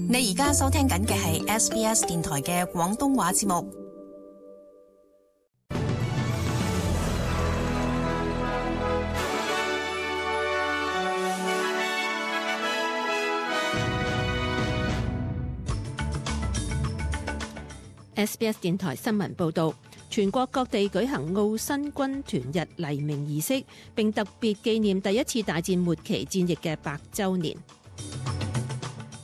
你而家收聽緊嘅係 SBS 電台嘅廣東話節目。SBS 電台新聞報導，全國各地舉行澳新軍團日黎明儀式，並特別紀念第一次大戰末期戰役嘅100週年。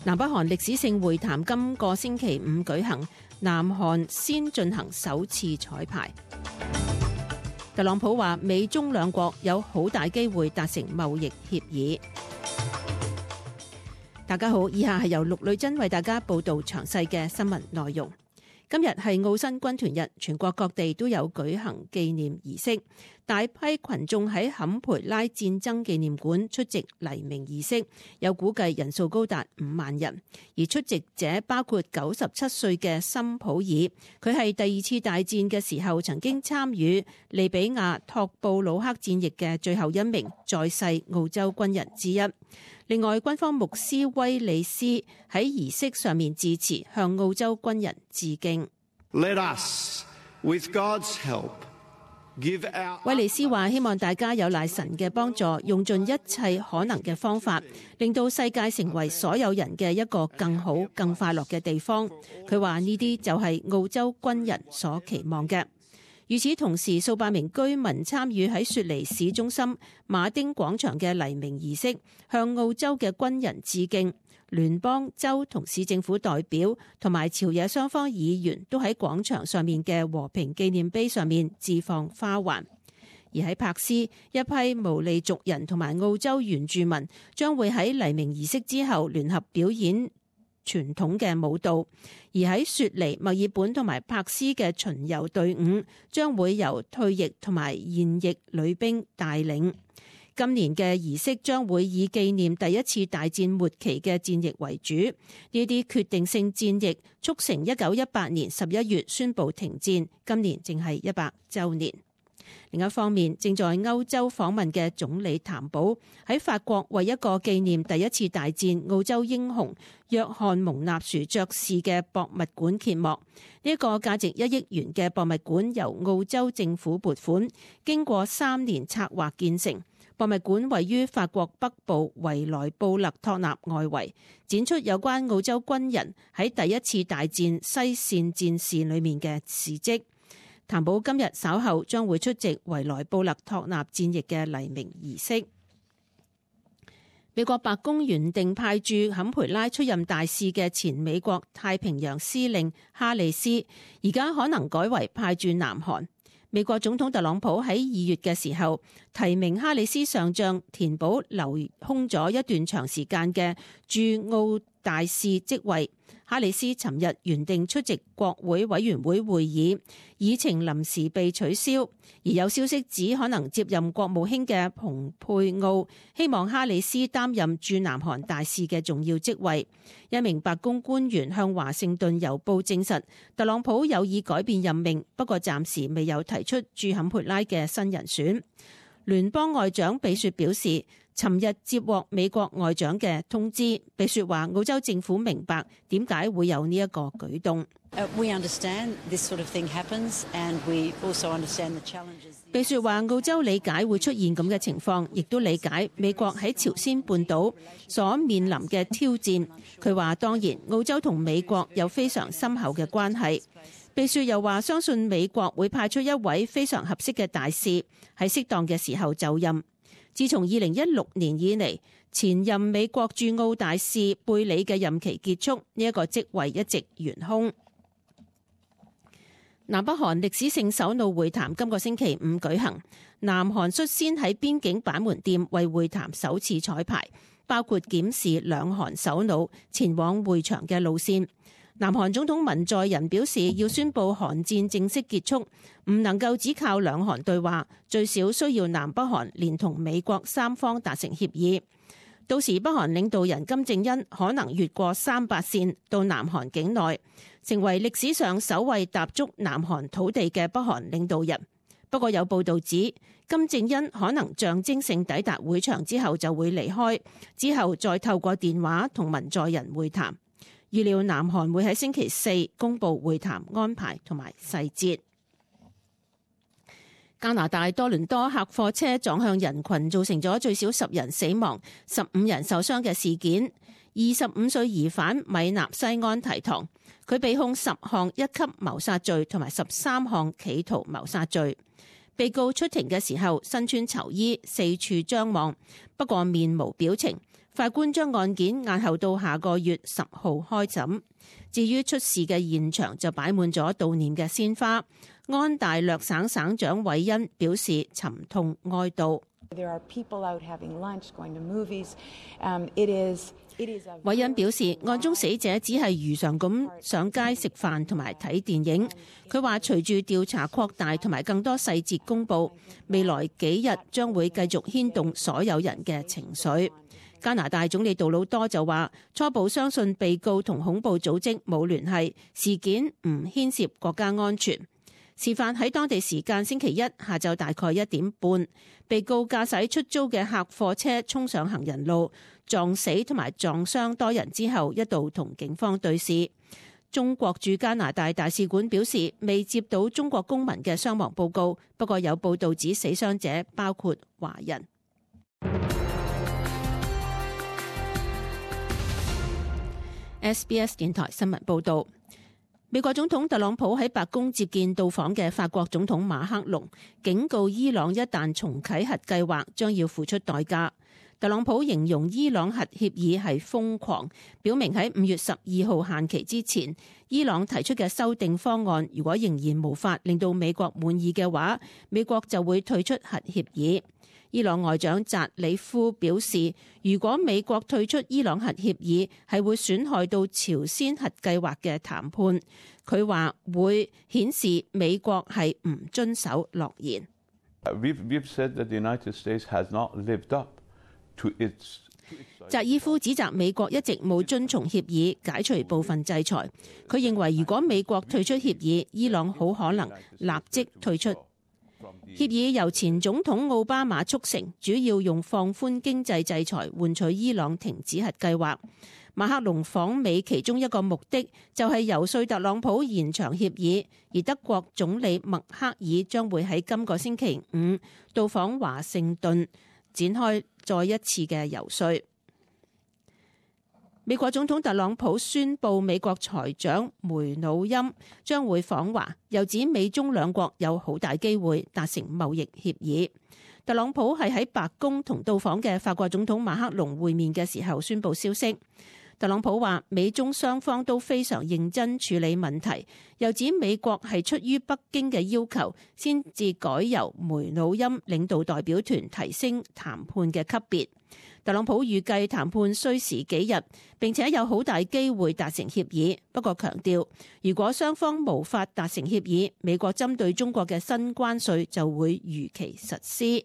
南北韓歷史性會談今個星期五舉行，南韓先進行首次彩排。特朗普話美中兩國有好大機會達成貿易協議。大家好，以下係由陸女珍為大家報導詳細嘅新聞內容。今日係澳新軍團日，全國各地都有舉行紀念儀式，大批群眾喺坎培拉戰爭紀念館出席黎明儀式，有估計人數高達5萬人。而出席者包括97歲嘅森普爾，佢係第二次大戰嘅時候曾經參與利比亞托布魯克戰役嘅最後一名在世澳洲軍人之一。另外，軍方牧師威利斯喺儀式上面致辭，向澳洲軍人致敬。Let us, with God's help, give our... 威利斯話：希望大家有賴神嘅幫助，用盡一切可能嘅方法，令到世界成為所有人嘅一個更好、更快樂嘅地方。佢話呢啲就係澳洲軍人所期望嘅。與此同時，數百名居民參與喺雪梨市中心馬丁廣場嘅黎明儀式，向澳洲嘅軍人致敬。聯邦、州同市政府代表同埋朝野雙方議員都喺廣場上面嘅和平紀念碑上面置放花環。而喺柏斯，一批毛利族人同埋澳洲原住民將會喺黎明儀式之後聯合表演傳統嘅舞蹈。而喺雪梨、墨爾本同埋柏斯嘅巡遊隊伍將會由退役同埋現役女兵帶領。今年嘅儀式將會以紀念第一次大戰末期嘅戰役為主，呢啲決定性戰役促成1918年11月宣布停戰，今年正係100週年。另一方面，正在歐洲訪問嘅總理譚寶喺法國為一個紀念第一次大戰澳洲英雄約翰蒙納殊爵士嘅博物館揭幕。呢一個價值1億元嘅博物館由澳洲政府撥款，經過3年策劃建成。博物館位於法國北部維萊布勒托納外圍，展出有關澳洲軍人喺第一次大戰西線戰事裏面嘅事蹟。譚寶今日稍後將會出席維萊布勒托納戰役嘅黎明儀式。美國白宮原定派駐坎培拉出任大使嘅前美國太平洋司令哈里斯，而家可能改為派駐南韓。美國總統特朗普喺2月嘅時候提名哈里斯上將，填補留空咗一段長時間嘅駐澳大使職位。哈里斯尋日原定出席國會委員會會議，議程臨時被取消，而有消息指可能接任國務卿嘅蓬佩奧希望哈里斯擔任駐南韓大使嘅重要職位。一名白宮官員向華盛頓郵報證實，特朗普有意改變任命，不過暫時未有提出駐坎培拉嘅新人選。聯邦外長比雪表示，尋日接獲美國外長嘅通知，比雪話澳洲政府明白點解會有呢一個舉動。比雪話澳洲理解會出現咁嘅情況，亦都理解美國喺朝鮮半島所面臨嘅挑戰。佢話當然澳洲同美國有非常深厚嘅關係。比雪又話相信美國會派出一位非常合適嘅大使喺適當嘅時候就任。自從2016年以嚟，前任美國駐澳大使貝里嘅任期結束，呢一個職位一直懸空。南北韓歷史性首腦會談今個星期五舉行，南韓率先喺邊境板門店為會談首次彩排，包括檢視兩韓首腦前往會場嘅路線。南韓總統文在寅表示，要宣布韓戰正式結束，唔能夠只靠兩韓對話，最少需要南北韓連同美國三方達成協議。到時北韓領導人金正恩可能越過300線到南韓境內，成為歷史上首位踏足南韓土地嘅北韓領導人。不過有報道指，金正恩可能象徵性抵達會場之後就會離開，之後再透過電話同文在寅會談。預料南韓會喺星期四公佈會談安排同埋細節。加拿大多倫多客貨車撞向人群，造成咗最少10人死亡、15人受傷嘅事件。25歲疑犯米納西安提堂，佢被控10項一級謀殺罪同埋13項企圖謀殺罪。被告出庭嘅時候身穿囚衣，四處張望，不過面無表情。法官將案件押後到下個月10號開審。至於出事嘅現場就擺滿咗悼念嘅鮮花。安大略省省長韋恩表示沉痛哀悼。韋恩表示，案中死者只係如常咁上街食飯同埋睇電影。佢話隨住調查擴大同埋更多細節公佈，未來幾日將會繼續牽動所有人嘅情緒。加拿大總理杜魯多就話，初步相信被告同恐怖組織冇聯繫，事件唔牽涉國家安全。事發喺當地時間星期一下晝大概1點半，被告駕駛出租嘅客貨車衝上行人路，撞死同埋撞傷多人之後，一度同警方對峙。中國駐加拿大大使館表示，未接到中國公民嘅傷亡報告，不過有報道指死傷者包括華人。SBS 電台新聞報道。美國總統特朗普喺白宮接見到訪嘅法國總統馬克龍，警告伊朗一旦重啟核計劃，將要付出代價。特朗普形容伊朗核協議係瘋狂，表明喺5月12號限期之前，伊朗提出嘅修訂方案如果仍然無法令到美國滿意嘅話，美國就會退出核協議。伊朗外長扎里夫表示，如果美國退出伊朗核協議，係會損害到朝鮮核計劃嘅談判。佢話會顯示美國係唔遵守諾言。扎伊夫指責美國一直冇遵從協議，解除部分制裁。佢認為如果美國退出協議，伊朗好可能立即退出。協議由前總統奧巴馬促成，主要用放寬經濟制裁換取伊朗停止核計劃。馬克龍訪美其中一個目的就係游說特朗普延長協議，而德國總理默克爾將會喺今個星期5到訪華盛頓，展開再一次嘅游說。美國總統特朗普宣布美國財長梅努欽將會訪華，又指美中兩國有好大機會達成貿易協議。特朗普係喺白宮同到訪嘅法國總統馬克龍會面嘅時候宣布消息。特朗普話美中雙方都非常認真處理問題，又指美國係出於北京嘅要求先至改由梅努欽領導代表團提升談判嘅級別。特朗普預計談判需時幾日，並且有好大機會達成協議。不過強調，如果雙方無法達成協議，美國針對中國嘅新關稅就會如期實施。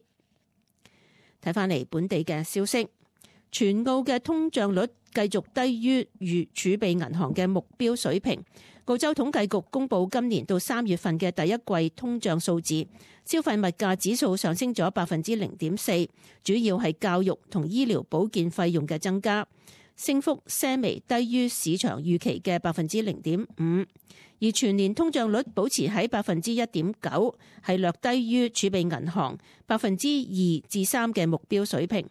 睇返嚟本地嘅消息，全澳嘅通脹率繼續低於儲備銀行嘅目標水平。澳洲統計局公布今年到3月份嘅第一季通脹數字，消費物價指數上升咗0.4%，主要係教育同醫療保健費用嘅增加，升幅些微低於市場預期嘅0.5%，而全年通脹率保持喺1.9%，係略低於儲備銀行2%至3%嘅目標水平。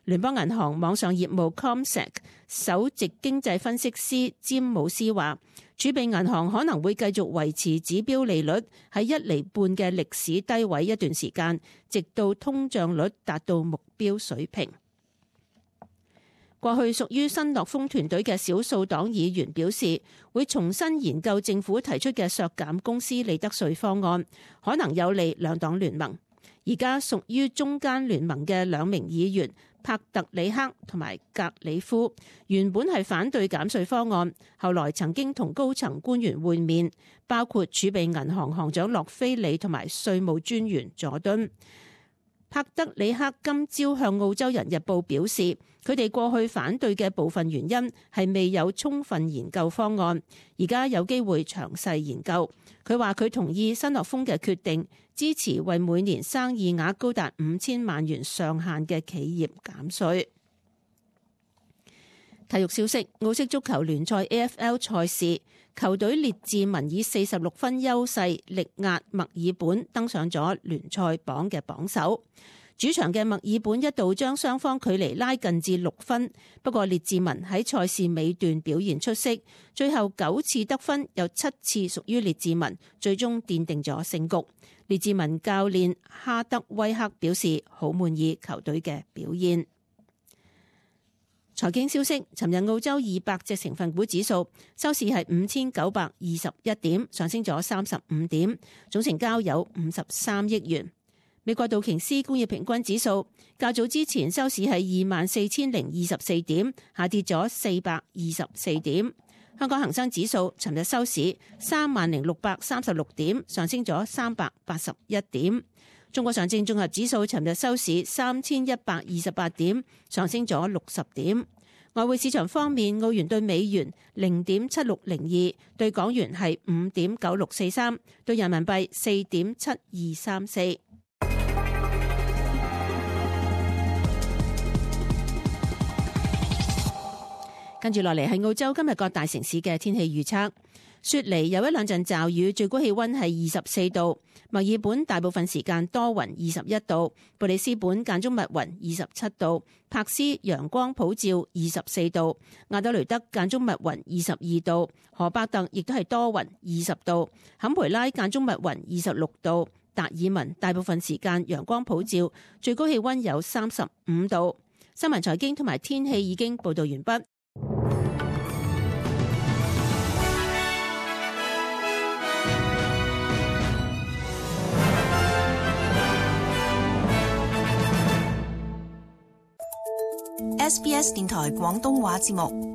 聯邦銀行網上業務 CommSec 首席經濟分析師詹姆斯話，儲備銀行可能會繼續維持指標利率喺1.5厘嘅歷史低位一段時間，直到通脹率達到目標水平。過去屬於新樂豐團隊嘅少數黨議員表示，會重新研究政府提出嘅削減公司利得稅方案，可能有利兩黨聯盟。而家屬於中間聯盟嘅2名議員帕特里克同埋格里夫原本係反對減稅方案，後來曾經同高層官員會面，包括儲備銀行行長洛菲里同埋稅務專員佐敦。帕特里克今朝向澳洲人日報表示，佢哋過去反對嘅部分原因係未有充分研究方案，而家有機會詳細研究。佢話佢同意新樂豐嘅決定，支持為每年生意額高達5000萬元上限嘅企業減稅。體育消息：澳式足球聯賽 AFL 賽事，球隊列治文以46分優勢力壓墨爾本，登上咗聯賽榜嘅榜首。主場嘅墨爾本一度將雙方距離拉近至6分，不過列治文喺賽事尾段表現出色，最後9次得分有7次屬於列治文，最終奠定咗勝局。列治文教練哈德威克表示好滿意球隊嘅表現。財經消息：尋日澳洲200隻成分股指數收市係5921點，上升咗35點，總成交有53億元。美國道瓊斯工業平均指數較早之前收市係24,024點，下跌咗424點。香港恒生指數尋日收市30,636點，上升咗381點。中國上證綜合指數尋日收市3128點，上升咗60點。外匯市場方面，澳元對美元0.7602，對港元係5.9643，對人民幣4.7234。跟住落嚟係澳洲今日各大城市嘅天氣預測。雪梨有一兩陣驟雨，最高氣溫係24度；墨爾本大部分時間多雲21度；布里斯本間中密雲27度；柏斯陽光普照24度；亞德雷德間中密雲22度；荷伯特亦都係多雲20度；坎培拉間中密雲26度；達爾文大部分時間陽光普照，最高氣溫有35度。新聞財經同埋天氣已經報道完畢。SBS 電台廣東話節目